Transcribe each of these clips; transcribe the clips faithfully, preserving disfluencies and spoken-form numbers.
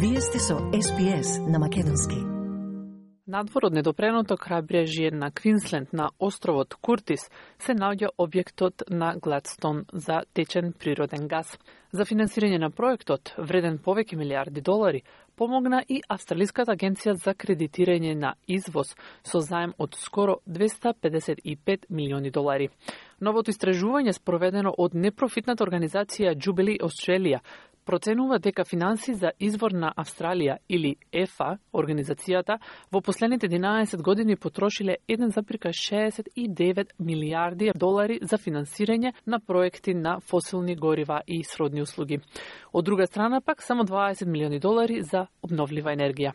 Вие сте со Ес Би Ес на македонски. Надвор од недопреното крајбрежје на Квинсленд на островот Куртис се наоѓа објектот на Гладстон за течен природен газ. За финансирање на проектот, вреден повеќе милиарди долари, помогна и Австралиската агенција за кредитирање на извоз со заем од скоро двесте педесет и пет милиони долари. Новото истражување спроведено од непрофитната организација Jubilee Australia проценува дека финанси за извор на Австралија или ЕФА, организацијата, во последните единаесет години потрошиле еден зарез шеесет и девет милиарди долари за финансирање на проекти на фосилни горива и сродни услуги. Од друга страна пак само дваесет милиони долари за обновлива енергија.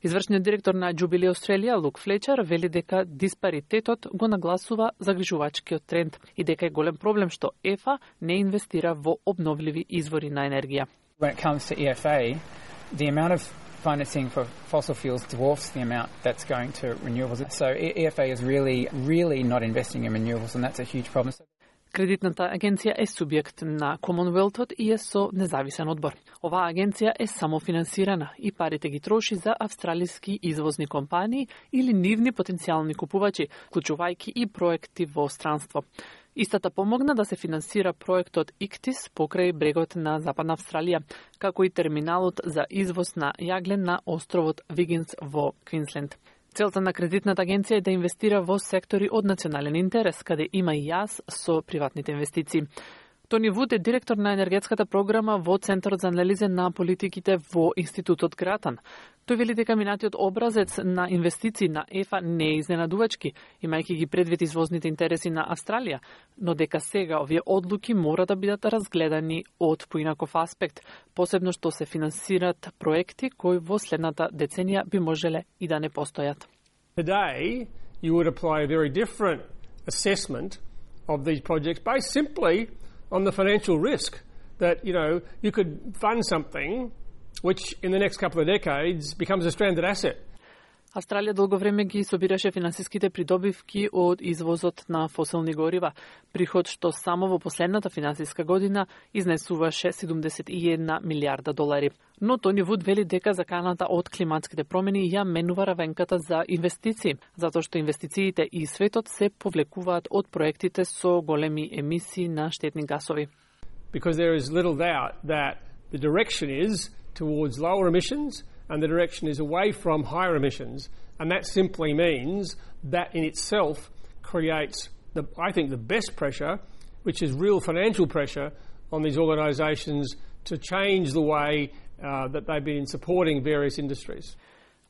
Извршниот директор на Jubilee Australia, Лук Флечер, вели дека диспаритетот го нагласува загрижувачкиот тренд и дека е голем проблем што ЕФА не инвестира во обновливи извори на енергија. When it comes to E F A, the amount of financing for fossil fuels dwarfs the amount that's going to renewables. So E F A is really, really not investing in renewables, and that's a huge problem. Кредитната агенција е субјект на Комонвелтот и е со независен одбор. Оваа агенција е самофинансирана и парите ги троши за австралиски извозни компании или нивни потенцијални купувачи, вклучувајќи и проекти во странство. Истата помогна да се финансира проектот Иктис покрај брегот на Западна Австралија, како и терминалот за извоз на јаглен на островот Вигинс во Квинсленд. Целта на кредитната агенција е да инвестира во сектори од национален интерес, каде има и јаз со приватните инвестиции. Тони Вуд е директор на енергетската програма во Центарот за анализа на политиките во Институтот Гратан. Тој вели дека минатиот образец на инвестиции на ЕФА не е изненадувачки, имајќи ги предвид извозните интереси на Австралија, но дека сега овие одлуки мора да бидат разгледани од поинаков аспект, посебно што се финансират проекти кои во следната деценија би можеле и да не постојат. Today, you would apply a very different assessment of these projects based simply on the financial risk that, you know, you could fund something which in the next couple of decades becomes a stranded asset. Австралија долго време ги собираше финансиските придобивки од извозот на фосилни горива, приход што само во последната финансиска година изнесуваше седумдесет и една милиарда долари. Но Тони Вуд вели дека заканата од климатските промени ја менува равенката за инвестиции, затоа што инвестициите и светот се повлекуваат од проектите со големи емисии на штетни гасови. Because there is little doubt that the direction is towards lower emissions and the direction is away from higher emissions, and that simply means that in itself creates, the, I think, the best pressure, which is real financial pressure on these organisations to change the way uh, that they've been supporting various industries.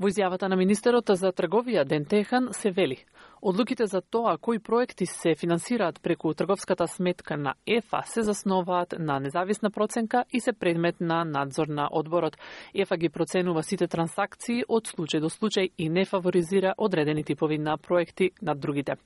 Во изјавата на министерот за трговија Ден Техан се вели: одлуките за тоа кои проекти се финансираат преку трговската сметка на ЕФА се засноваат на независна проценка и се предмет на надзор на одборот. ЕФА ги проценува сите трансакции од случај до случај и не фаворизира одредени типови на проекти над другите.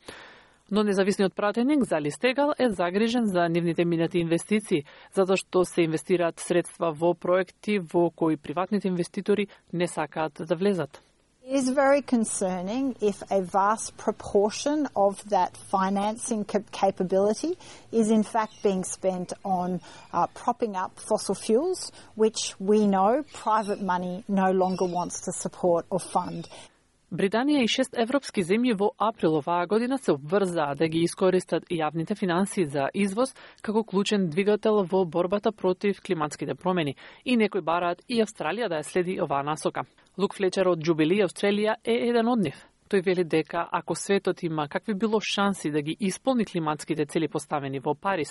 Но независниот пратеник Зали Стегал е загрижен за нивните минати инвестиции, затоа што се инвестираат средства во проекти во кои приватните инвеститори не сакаат да влезат. It is very concerning if a vast proportion of that financing capability is in fact being spent on uh, propping up fossil fuels, which we know private money no longer wants to support or fund. Британија и шест европски земји во април оваа година се обврзаа да ги искористат јавните финансии за извоз како клучен двигател во борбата против климатските промени и некои бараат и Австралија да ја следи оваа насока. Лук Флечер од Jubilee Australia е еден од нив. Тој вели дека ако светот има какви било шанси да ги исполни климатските цели поставени во Париз,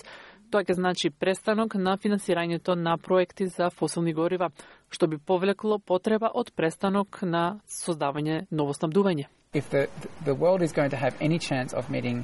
тоа ќе значи престанок на финансирањето на проекти за фосилни горива, што би повлекло потреба од престанок на создавање ново снабдување. If the, the world is going to have any chance of meeting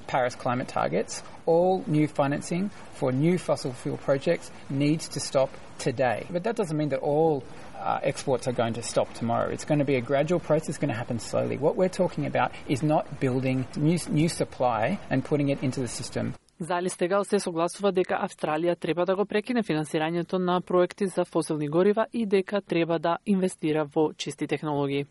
Paris climate targets, all new financing for new fossil fuel projects needs to stop today. But that doesn't mean that all uh, exports are going to stop tomorrow. It's going to be a gradual process, it's going to happen slowly. What we're talking about is not building new, new supply and putting it into the system. Зали Стегал се согласува дека Австралија треба да го прекине финансирањето на проекти за фосилни горива и дека треба да инвестира во чисти технологии.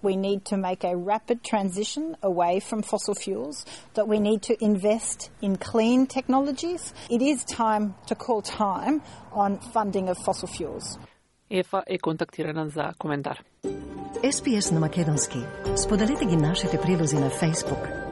We need to make a rapid transition away from fossil fuels, that we need to invest in clean technologies. It is time to call time on funding of fossil fuels. ЕФА е контактирана за коментар. Ес Би Ес на македонски. Споделете ги нашите прилози на Facebook,